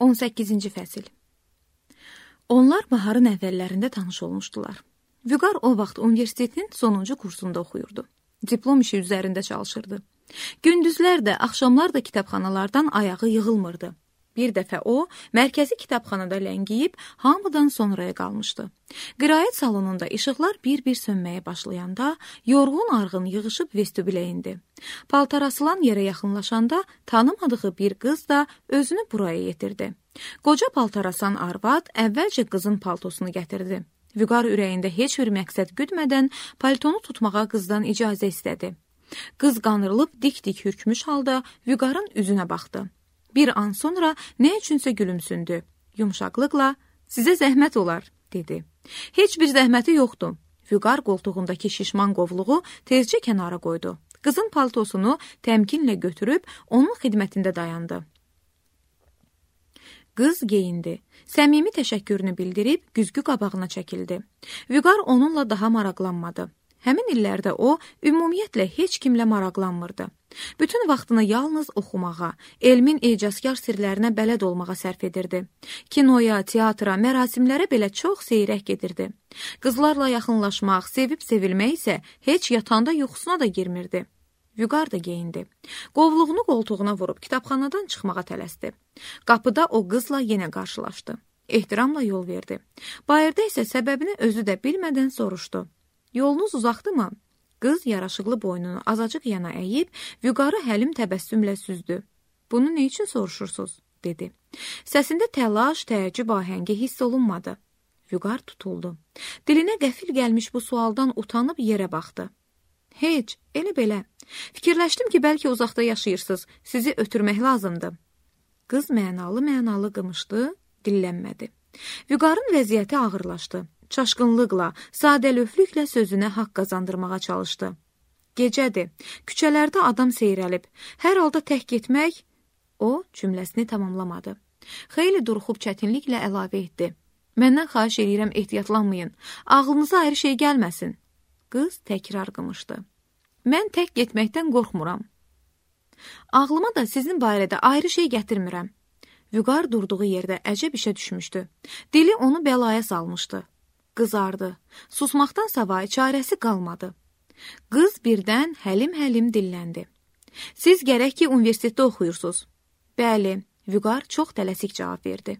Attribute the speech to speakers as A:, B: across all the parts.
A: 18-ci fəsil. Onlar baharın əvvəllərində tanış olmuşdular. Vüqar o vaxt universitetin sonuncu kursunda oxuyurdu. Diplom işi üzərində çalışırdı. Gündüzlər də, axşamlar da kitabxanalardan ayağı yığılmırdı. Bir dəfə o, mərkəzi kitabxanada ləngiyib, hamıdan sonraya qalmışdı. Qiraət salonunda işıqlar bir-bir sönməyə başlayanda, yorğun arğın yığışıb vestibülə indi. Paltar asılan yerə yaxınlaşanda, tanımadığı bir qız da özünü buraya yetirdi. Qoca paltar asan arvad əvvəlcə qızın paltosunu gətirdi. Vüqar ürəyində heç bir məqsəd güdmədən paltonu tutmağa qızdan icazə istədi. Qız qanırılıb dik-dik hürkmüş halda Vüqarın üzünə baxdı. Bir an sonra nə üçünsə gülümsündü. Yumşaqlıqla, sizə zəhmət olar, dedi. Heç bir zəhməti yoxdur. Vüqar qoltuğundakı şişman qovluğu tezcə kənara qoydu. Qızın paltosunu təmkinlə götürüb onun xidmətində dayandı. Qız geyindi. Səmimi təşəkkürünü bildirib güzgü qabağına çəkildi. Vüqar onunla daha maraqlanmadı. Həmin illərdə o, ümumiyyətlə heç kimlə maraqlanmırdı. Bütün vaxtını yalnız oxumağa, elmin ecazkar sirlərinə bələd olmağa sərf edirdi. Kinoya, teatra, mərasimlərə belə çox seyrək gedirdi. Qızlarla yaxınlaşmaq, sevib sevilmək isə heç yatanda yuxusuna da girmirdi. Vüqar da geyindi. Qovluğunu qoltuğuna vurub kitabxanadan çıxmağa tələsdi. Qapıda o qızla yenə qarşılaşdı. Ehtiramla yol verdi. Bayırda isə səbəbini özü də bilmədən soruşdu. Yolunuz uzaqdımı? Qız yaraşıqlı boynunu azacıq yana əyib, Vüqarı həlim təbəssümlə süzdü. Bunu nə üçün soruşursunuz? Dedi. Səsində təlaş, təəccüb ahəngi hiss olunmadı. Vüqar tutuldu. Dilinə qəfil gəlmiş bu sualdan utanıb yerə baxdı. Heç, elə belə. Fikirləşdim ki, bəlkə uzaqda yaşayırsınız, sizi ötürmək lazımdır. Qız mənalı qımışdı, dillənmədi. Vüqarın vəziyyəti ağırlaşdı. Çaşqınlıqla, sadəlöflüklə sözünə haqq qazandırmağa çalışdı. Gecədir, küçələrdə adam seyrəlib, hər halda tək getmək, o cümləsini tamamlamadı. Xeyli duruxub çətinliklə əlavə etdi. Məndən xahiş edirəm ehtiyatlanmayın, ağlınıza ayrı şey gəlməsin. Qız təkrar qımışdı. Mən tək getməkdən qorxmuram. Ağlıma da sizin barədə ayrı şey gətirmirəm. Vüqar durduğu yerdə əcəb işə düşmüşdü. Dili onu bəlaya salmışdı. Qızardı. Susmaqdan savayı çarəsi qalmadı. Qız birdən həlim-həlim dilləndi. Siz gərək ki, universitetdə oxuyursunuz. Bəli, Vüqar çox tələsik cavab verdi.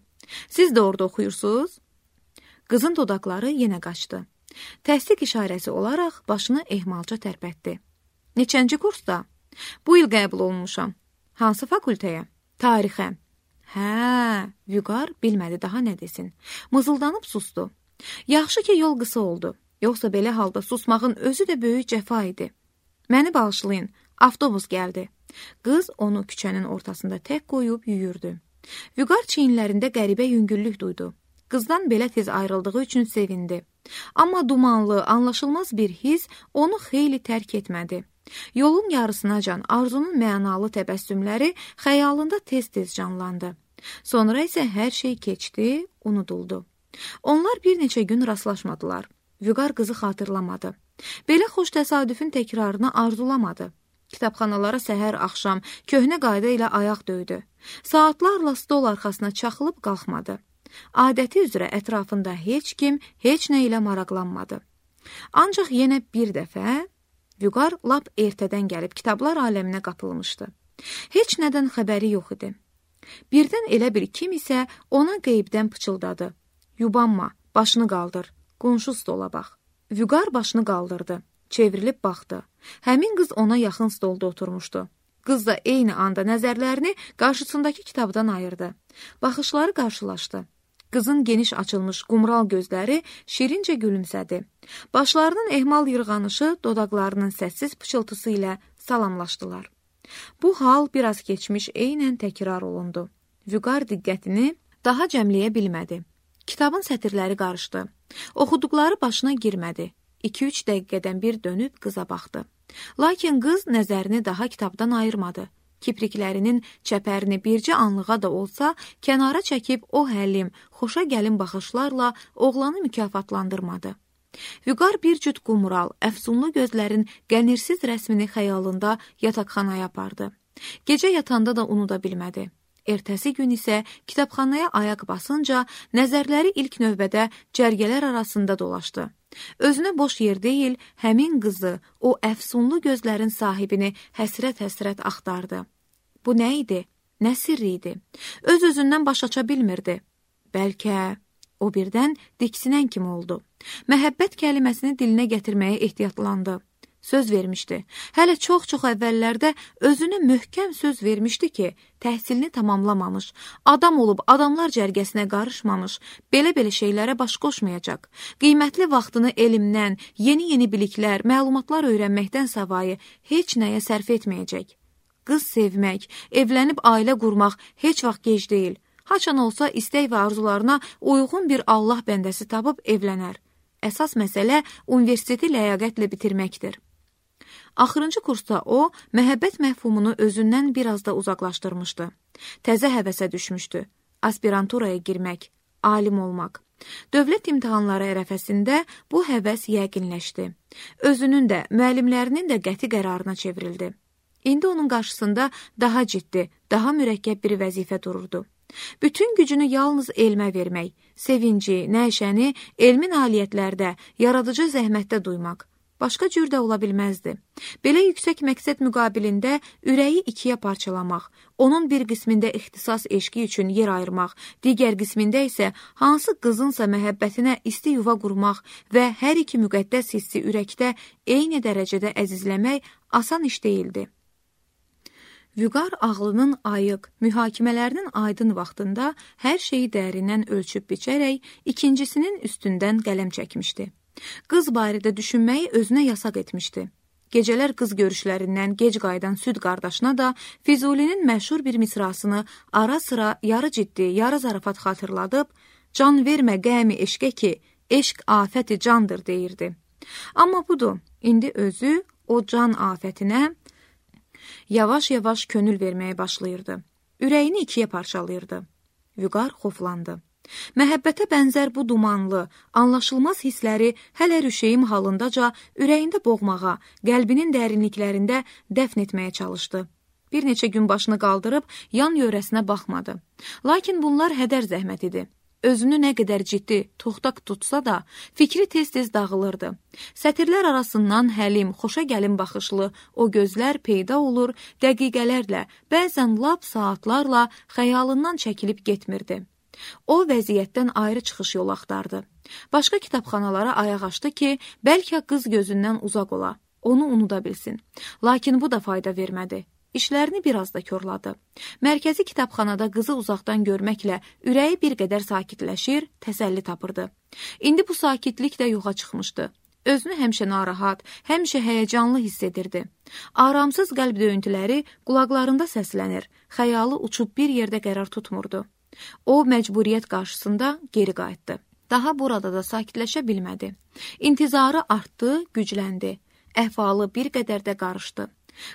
A: Siz də orada oxuyursunuz? Qızın dodaqları yenə qaçdı. Təsdiq işarəsi olaraq başını ehmalca tərpətdi. Neçənci kursda? Bu il qəbul olunmuşam. Hansı fakültəyə? Tarixə. Hə, Vüqar bilmədi daha nə desin. Mızıldanıb sustu. Yaxşı ki, yol qısa oldu. Yoxsa belə halda susmağın özü də böyük cəfa idi. Məni bağışlayın, avtobus gəldi. Qız onu küçənin ortasında tək qoyub yüyürdü. Vüqar çiyinlərində qəribə yüngüllük duydu. Qızdan belə tez ayrıldığı üçün sevindi. Amma dumanlı, anlaşılmaz bir his onu xeyli tərk etmədi. Yolun yarısınacan Arzunun mənalı təbəssümləri xəyalında tez-tez canlandı. Sonra isə hər şey keçdi, unuduldu. Onlar bir neçə gün rastlaşmadılar. Vüqar qızı xatırlamadı. Belə xoş təsadüfün təkrarını arzulamadı. Kitabxanalara səhər-axşam köhnə qayda ilə ayaq döydü. Saatlarla stol arxasına çaxılıb qalxmadı. Adəti üzrə ətrafında heç kim, heç nə ilə maraqlanmadı. Ancaq yenə bir dəfə Vüqar lap ertədən gəlib kitablar aləminə qapılmışdı. Heç nədən xəbəri yox idi. Birdən elə bir kim isə ona qeybdən pıçıldadı. Yubanma, başını qaldır, qonşu stola bax. Vüqar başını qaldırdı, çevrilib baxdı. Həmin qız ona yaxın stolda oturmuşdu. Qız da eyni anda nəzərlərini qarşısındakı kitabdan ayırdı. Baxışları qarşılaşdı. Qızın geniş açılmış qumral gözləri şirincə gülümsədi. Başlarının ehmal yırğanışı dodaqlarının səssiz pıçıltısı ilə salamlaşdılar. Bu hal biraz keçmiş eynən təkrar olundu. Vüqar diqqətini daha cəmləyə bilmədi. Kitabın sətirləri qarışdı. Oxuduqları başına girmədi. 2-3 dəqiqədən bir dönüb qıza baxdı. Lakin qız nəzərini daha kitabdan ayırmadı. Kipriklərinin çəpərini bircə anlığa da olsa kənara çəkib o həlim, xoşa gəlin baxışlarla oğlanı mükafatlandırmadı. Vüqar bir cüt qumral, əfsunlu gözlərin qənirsiz rəsmini xəyalında yataqxanaya apardı. Gecə yatanda da unuda bilmədi. Ertəsi gün isə kitabxanaya ayaq basınca nəzərləri ilk növbədə cərgələr arasında dolaşdı. Özünə boş yer deyil, həmin qızı, o əfsunlu gözlərin sahibini həsrət-həsrət axtardı. Bu nə idi? Nə sirri idi? Öz-özündən baş aça bilmirdi. Bəlkə o birdən diksinən kimi oldu. Məhəbbət kəliməsini dilinə gətirməyə ehtiyatlandı. Söz vermişdi. Hələ çox-çox əvvəllərdə özünə möhkəm söz vermişdi ki, təhsilini tamamlamamış, adam olub adamlar cərgəsinə qarışmamış, belə-belə şeylərə baş qoşmayacaq. Qiymətli vaxtını elmdən, yeni-yeni biliklər, məlumatlar öyrənməkdən savayı heç nəyə sərf etməyəcək. Qız sevmək, evlənib ailə qurmaq heç vaxt gec deyil. Haçan olsa istək və arzularına uyğun bir Allah bəndəsi tapıb evlənər. Əsas məsələ universiteti ləyaqətlə bitirməkdir. Axırıncı kursda o, məhəbbət məfhumunu özündən biraz da uzaqlaşdırmışdı. Təzə həvəsə düşmüşdü. Aspiranturaya girmək, alim olmaq. Dövlət imtahanları ərəfəsində bu həvəs yəqinləşdi. Özünün də, müəllimlərinin də qəti qərarına çevrildi. İndi onun qarşısında daha ciddi, daha mürəkkəb bir vəzifə dururdu. Bütün gücünü yalnız elmə vermək, sevinci, nəşəni elmi nailiyyətlərdə, yaradıcı zəhmətdə duymaq. Başqa cür də ola bilməzdi. Belə yüksək məqsəd müqabilində ürəyi ikiyə parçalamaq, onun bir qismində ixtisas eşqi üçün yer ayırmaq, digər qismində isə hansı qızınsa məhəbbətinə isti yuva qurmaq və hər iki müqəddəs hissi ürəkdə eyni dərəcədə əzizləmək asan iş deyildi. Vüqar ağlının ayıq, mühakimələrinin aydın vaxtında hər şeyi dərindən ölçüb biçərək ikincisinin üstündən qələm çəkmişdi. Qız barədə düşünməyi özünə yasaq etmişdi. Gecələr qız görüşlərindən gec qayıdan süd qardaşına da Füzulinin məşhur bir misrasını ara sıra yarı ciddi, yarı zarafat xatırladıb, can vermə qəmi eşqə ki, eşq afəti candır deyirdi. Amma budur, indi özü o can afətinə yavaş-yavaş könül verməyə başlayırdı. Ürəyini ikiyə parçalayırdı. Vüqar xoflandı. Məhəbbətə bənzər bu dumanlı, anlaşılmaz hissləri hələ rüşeyim halındaca ürəyində boğmağa, qəlbinin dərinliklərində dəfn etməyə çalışdı. Bir neçə gün başını qaldırıb yan yörəsinə baxmadı. Lakin bunlar hədər zəhmət idi. Özünü nə qədər ciddi, toxtaq tutsa da, fikri tez-tez dağılırdı. Sətirlər arasından həlim, xoşa gəlin baxışlı o gözlər peyda olur, dəqiqələrlə, bəzən lap saatlarla xəyalından çəkilib getmirdi. O vəziyyətdən ayrı çıxış yol axtardı. Başqa kitabxanalara ayaq açdı ki, bəlkə qız gözündən uzaq ola, onu unuda bilsin. Lakin bu da fayda vermədi. İşlərini biraz da körladı. Mərkəzi kitabxanada qızı uzaqdan görməklə ürəyi bir qədər sakitləşir, təsəlli tapırdı. İndi bu sakitlik də yoxa çıxmışdı. Özünü həmişə narahat, həmişə həyəcanlı hiss edirdi. Aramsız qəlb döyüntüləri qulaqlarında səslənir, xəyalı uçub bir yerdə qərar tutmurdu. O, məcburiyyət qarşısında geri qayıtdı. Daha burada da sakitləşə bilmədi. İntizarı artdı, gücləndi. Əhvalı bir qədər də qarışdı.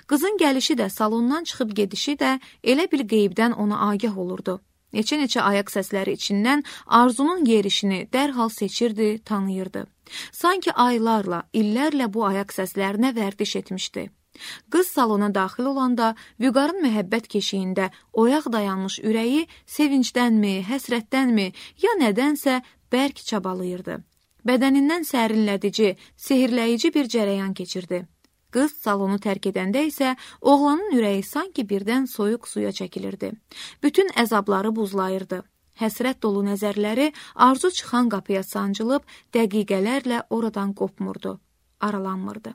A: Qızın gəlişi də, salondan çıxıb gedişi də elə bir qeybdən ona agah olurdu. Neçə-neçə ayaq səsləri içindən arzunun yerişini dərhal seçirdi, tanıyırdı. Sanki aylarla, illərlə bu ayaq səslərinə vərdiş etmişdi. Qız salona daxil olanda Vüqarın məhəbbət keşiyində oyaq dayanmış ürəyi sevincdənmi, həsrətdənmi, ya nədənsə bərk çabalayırdı. Bədənindən sərinlədici, sehirləyici bir cərəyan keçirdi. Qız salonu tərk edəndə isə oğlanın ürəyi sanki birdən soyuq suya çəkilirdi. Bütün əzabları buzlayırdı. Həsrət dolu nəzərləri arzu çıxan qapıya sancılıb dəqiqələrlə oradan qopmurdu, aralanmırdı.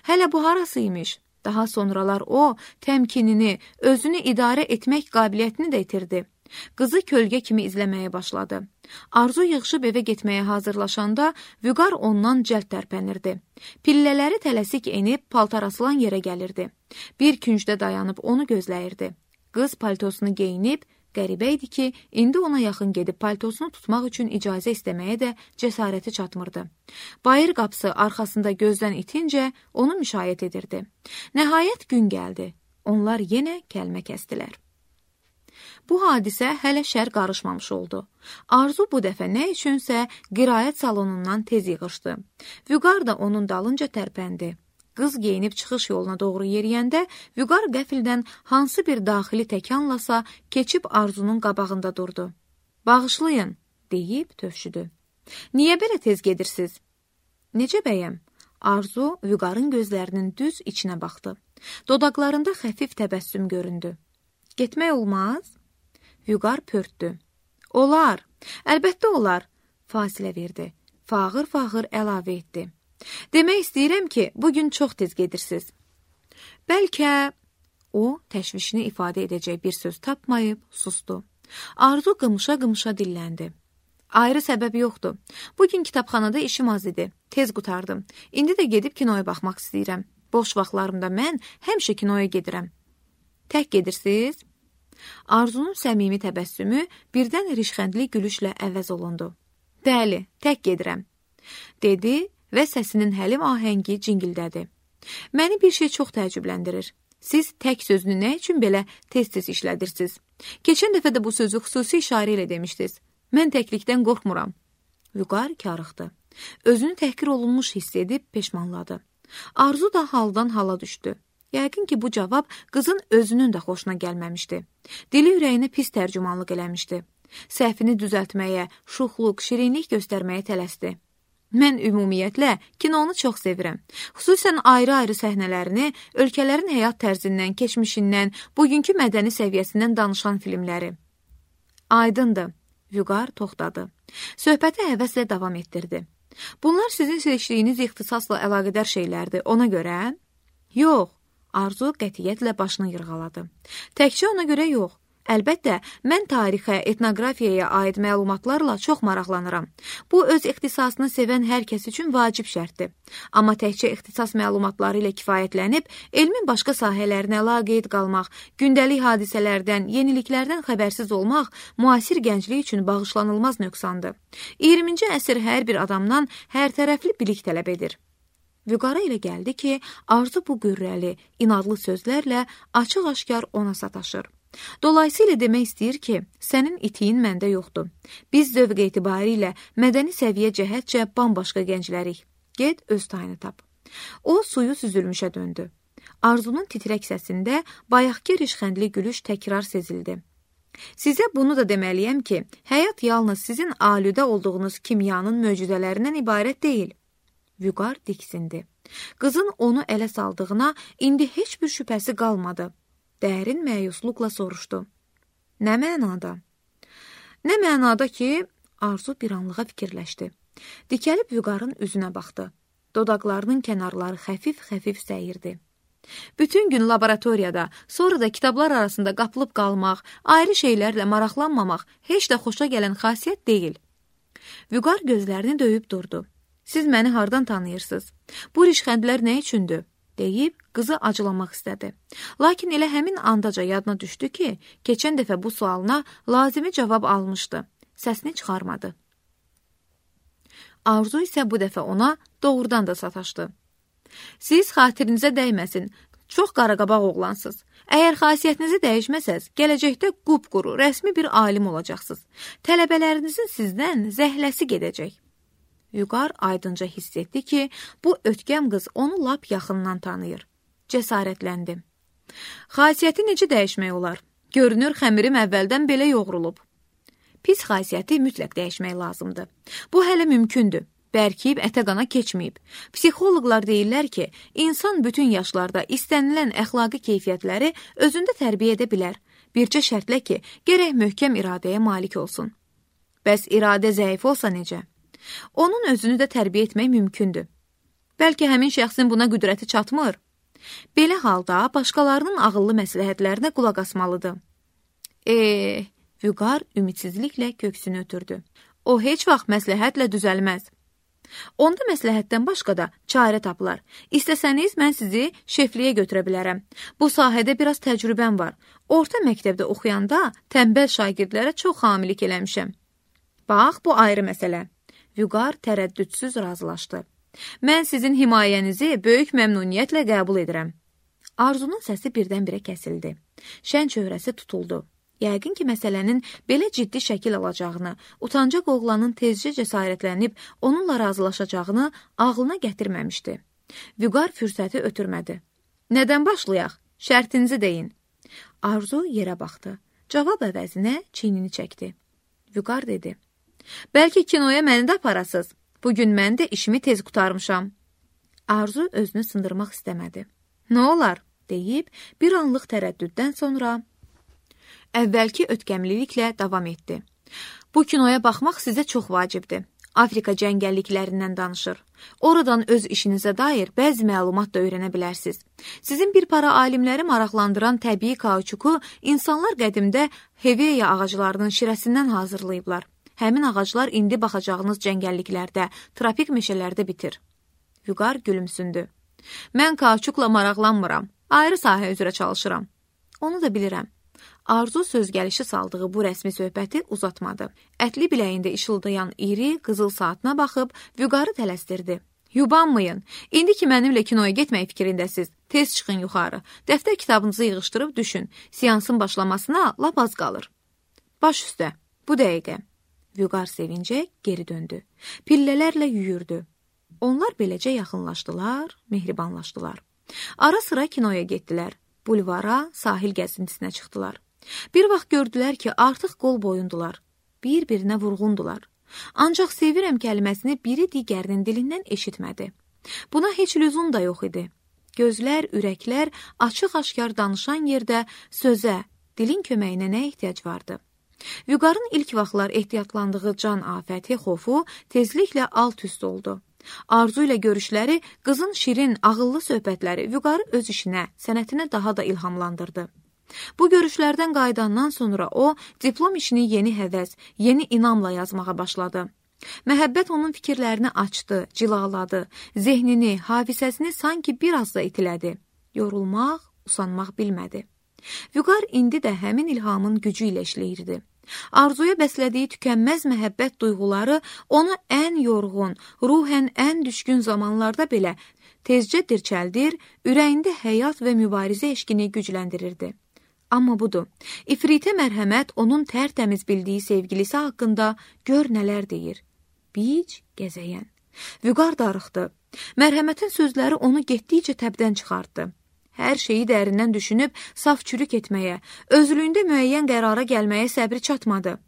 A: Hələ bu harasıymış? Daha sonralar o, təmkinini, özünü idarə etmək qabiliyyətini də itirdi. Qızı kölgə kimi izləməyə başladı. Arzu yığışıb evə getməyə hazırlaşanda Vüqar ondan cəld tərpənirdi. Pillələri tələsik enib paltar asılan yerə gəlirdi. Bir küncdə dayanıb onu gözləyirdi. Qız paltosunu geyinib, qəribə idi ki, indi ona yaxın gedib paltosunu tutmaq üçün icazə istəməyə də cəsarəti çatmırdı. Bayır qapısı arxasında gözdən itincə onu müşayiət edirdi. Nəhayət gün gəldi. Onlar yenə kəlmə kəsdilər. Bu hadisə hələ şər qarışmamış oldu. Arzu bu dəfə nə üçünsə qiraət salonundan tez yığışdı. Vüqar da onun dalınca tərpəndi. Qız geyinib çıxış yoluna doğru yeriyəndə Vüqar qəfildən hansı bir daxili təkanlasa keçib Arzunun qabağında durdu. Bağışlayın, deyib tövşüdü. Niyə belə tez gedirsiz? Necə bəyəm? Arzu Vüqarın gözlərinin düz içinə baxdı. Dodaqlarında xəfif təbəssüm göründü. Getmək olmaz? Vüqar pörtdü. Olar, əlbəttə olar, fasilə verdi. Fağır-fağır əlavə etdi. Demək istəyirəm ki, bugün çox tez gedirsiz. Bəlkə o təşvişini ifadə edəcək bir söz tapmayıb sustu. Arzu qımışa-qımışa dilləndi. Ayrı səbəb yoxdur. Bugün kitabxanada işim az idi. Tez qutardım. İndi də gedib kinoya baxmaq istəyirəm. Boş vaxtlarımda mən həmişə kinoya gedirəm. Tək gedirsiz? Arzunun səmimi təbəssümü birdən rişxəndli gülüşlə əvəz olundu. Bəli, tək gedirəm, dedi və səsinin həlim ahəngi cingildədi. Məni bir şey çox təəccübləndirir. Siz tək sözünü nə üçün belə tez-tez işlədirsiniz? Keçən dəfə də bu sözü xüsusi işarə ilə demişdiniz. Mən təklikdən qorxmuram. Vüqar karıxdı. Özünü təhqir olunmuş hiss edib peşmanladı. Arzu da haldan hala düşdü. Yəqin ki, bu cavab qızın özünün də xoşuna gəlməmişdi. Dili ürəyinə pis tərcümanlıq eləmişdi. Səhvini düzəltməyə, şuxluq, şirinlik göstərməyə tələsdi. Mən ümumiyyətlə kinonu çox sevirəm. Xüsusən ayrı-ayrı səhnələrini, ölkələrin həyat tərzindən, keçmişindən, bugünkü mədəni səviyyəsindən danışan filmləri. Aydındır, Vüqar toxtadı. Söhbəti həvəslə davam etdirdi. Bunlar sizin seçdiyiniz ixtisasla əlaqədar şeylərdir, ona görə? Yox, Arzu qətiyyətlə başını yırğaladı. Təkcə ona görə yox. Əlbəttə, mən tarixə, etnoqrafiyaya aid məlumatlarla çox maraqlanıram. Bu, öz ixtisasını sevən hər kəs üçün vacib şərtdir. Amma təkcə ixtisas məlumatları ilə kifayətlənib, elmin başqa sahələrinə laqeyd qalmaq, gündəlik hadisələrdən, yeniliklərdən xəbərsiz olmaq müasir gənclik üçün bağışlanılmaz nöqsandır. 20-ci əsr hər bir adamdan hər tərəfli bilik tələb edir. Vüqara ilə gəldi ki, Arzu bu qürrəli, inadlı sözlərlə açıq-aşkar ona sataşır. Dolayısıyla demək istəyir ki, sənin itiyin məndə yoxdur. Biz zövq etibarilə mədəni səviyyə cəhətcə bambaşqa gənclərik. Get, öz tayını tap. O, suyu süzülmüşə döndü. Arzunun titrək səsində bayaqki rişxəndli gülüş təkrar sezildi. Sizə bunu da deməliyəm ki, həyat yalnız sizin alüdə olduğunuz kimyanın möcüzələrindən ibarət deyil. Vüqar diksindi. Qızın onu ələ saldığına indi heç bir şübhəsi qalmadı. Dərin məyusluqla soruşdu. Nə mənada? Nə mənada ki, Arzu bir anlığa fikirləşdi. Dikəlib Vüqarın üzünə baxdı. Dodaqlarının kənarları xəfif-xəfif səyirdi. Bütün gün laboratoriyada, sonra da kitablar arasında qapılıb qalmaq, ayrı şeylərlə maraqlanmamaq heç də xoşa gələn xasiyyət deyil. Vüqar gözlərini döyüb durdu. Siz məni hardan tanıyırsınız? Bu rişxəndlər nə üçündür? Deyib qızı acılamaq istədi. Lakin elə həmin andaca yadına düşdü ki, keçən dəfə bu sualına lazımi cavab almışdı. Səsini çıxarmadı. Arzu isə bu dəfə ona doğrudan da sataşdı. Siz xatirinizə dəyməsin, çox qaraqabaq oğlansınız. Əgər xasiyyətinizi dəyişməsəz, gələcəkdə qupquru, rəsmi bir alim olacaqsınız. Tələbələrinizin sizdən zəhləsi gedəcək. Vüqar aydınca hiss etdi ki, bu ötkəm qız onu lap yaxından tanıyır. Cəsarətləndi. Xasiyyəti necə dəyişmək olar? Görünür, xəmirim əvvəldən belə yoğrulub. Pis xasiyyəti mütləq dəyişmək lazımdır. Bu hələ mümkündür. Bərkiyib ətə qana keçməyib. Psixoloqlar deyirlər ki, insan bütün yaşlarda istənilən əxlaqi keyfiyyətləri özündə tərbiyə edə bilər. Bircə şərtlə ki, gərək möhkəm iradəyə malik olsun. Bəs iradə zəif olsa necə? Onun özünü də tərbiyə etmək mümkündür. Bəlkə həmin şəxsin buna qüdrəti çatmır. Belə halda başqalarının ağıllı məsləhətlərinə qulaq asmalıdır. Vüqar ümidsizliklə köksünü ötürdü. O heç vaxt məsləhətlə düzəlməz. Onda məsləhətdən başqa da çarə tapılar. İstəsəniz, mən sizi şefliyə götürə bilərəm. Bu sahədə biraz təcrübəm var. Orta məktəbdə oxuyanda tənbəl şagirdlərə çox hamilik eləmişəm. Bax, bu ayrı məsələ. Vüqar tərəddüdsüz razılaşdı. Mən sizin himayənizi böyük məmnuniyyətlə qəbul edirəm. Arzunun səsi birdən-birə kəsildi. Şən çöhrəsi tutuldu. Yəqin ki, məsələnin belə ciddi şəkil alacağını, utancaq oğlanın tezcə cəsarətlənib onunla razılaşacağını ağlına gətirməmişdi. Vüqar fürsəti ötürmədi. Nədən başlayaq? Şərtinizi deyin. Arzu yerə baxdı. Cavab əvəzinə çiynini çəkdi. Vüqar dedi. Bəlkə kinoya məni də aparasız. Bugün mən də işimi tez qutarmışam. Arzu özünü sındırmaq istəmədi. Nə olar? Deyib bir anlıq tərəddüddən sonra əvvəlki ötkəmliliklə davam etdi. Bu kinoya baxmaq sizə çox vacibdir. Afrika cəngəlliklərindən danışır. Oradan öz işinizə dair bəzi məlumat da öyrənə bilərsiniz. Sizin bir para alimləri maraqlandıran təbii kauçuku insanlar qədimdə Heveya ağaclarının şirəsindən hazırlayıblar. Həmin ağaclar indi baxacağınız cəngəlliklərdə, tropik meşələrdə bitir. Vüqar gülümsündü. Mən kauçukla maraqlanmıram. Ayrı sahə üzrə çalışıram. Onu da bilirəm. Arzu söz gəlişi saldığı bu rəsmi söhbəti uzatmadı. Ətli biləyində işıldayan iri qızıl saatına baxıb Vüqarı tələsdirdi. Yubanmayın. İndi ki mənimlə kinoya getmək fikrindəsiz. Tez çıxın yuxarı. Dəftər kitabınızı yığışdırıb düşün. Seansın başlamasına lap az qalır. Baş üstə. Bu dəqiqə. Vüqar sevincə geri döndü. Pillələrlə yüyürdü. Onlar beləcə yaxınlaşdılar, mehribanlaşdılar. Ara sıra kinoya getdilər. Bulvara, sahil gəzintisinə çıxdılar. Bir vaxt gördülər ki, artıq qol boyundular. Bir-birinə vurğundular. Ancaq sevirəm kəlməsini biri digərinin dilindən eşitmədi. Buna heç lüzum da yox idi. Gözlər, ürəklər açıq-aşkar danışan yerdə sözə, dilin köməyinə nə ehtiyac vardı? Vüqarın ilk vaxtlar ehtiyatlandığı can afəti, xofu tezliklə alt-üst oldu. Arzu ilə görüşləri, qızın şirin, ağıllı söhbətləri Vüqarı öz işinə, sənətinə daha da ilhamlandırdı. Bu görüşlərdən qayıdandan sonra o, diplom işini yeni həvəs, yeni inamla yazmağa başladı. Məhəbbət onun fikirlərini açdı, cilaladı, zehnini, hafizəsini sanki biraz da itilədi. Yorulmaq, usanmaq bilmədi. Vüqar indi də həmin ilhamın gücü ilə işləyirdi. Arzuya bəslədiyi tükənməz məhəbbət duyğuları onu ən yorğun, ruhən ən düşkün zamanlarda belə tezcə dirçəldir, ürəyində həyat və mübarizə eşqini gücləndirirdi. Amma budur, ifritə mərhəmət onun tərtəmiz bildiyi sevgilisi haqqında gör nələr deyir. Bic, gəzəyən. Vüqar darıxdı. Mərhəmətin sözləri onu getdikcə təbdən çıxartdı. Hər şeyi dərindən düşünüb saf çürük etməyə, özlüyündə müəyyən qərara gəlməyə səbri çatmadı.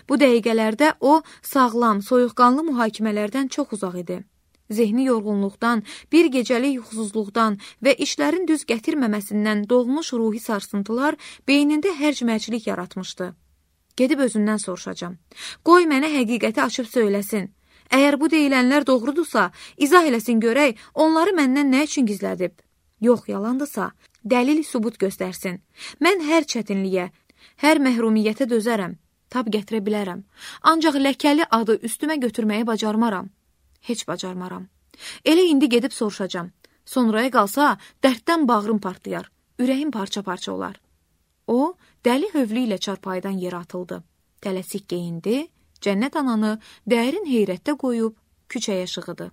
A: Bu dəqiqələrdə o, sağlam, soyuqqanlı mühakimələrdən çox uzaq idi. Zehni yorğunluqdan, bir gecəlik yuxusuzluqdan və işlərin düz gətirməməsindən doğmuş ruhi sarsıntılar beynində hərc-mərclik yaratmışdı. Gedib özündən soruşacam. Qoy mənə həqiqəti açıb söyləsin. Əgər bu deyilənlər doğrudursa, izah eləsin görək, onları məndən nə üçün gizlədib? Yox, yalandırsa, dəlil sübut göstərsin. Mən hər çətinliyə, hər məhrumiyyətə dözərəm, tab gətirə bilərəm. Ancaq ləkəli adı üstümə götürməyi bacarmaram. Heç bacarmaram. Elə indi gedib soruşacam. Sonraya qalsa, dərddən bağrım partlayar, ürəyim parça-parça olar. O, dəli hövlü ilə çarpayıdan yerə atıldı. Tələsik geyindi, Cənnət ananı dərin heyrətdə qoyub küçəyə şığıdı.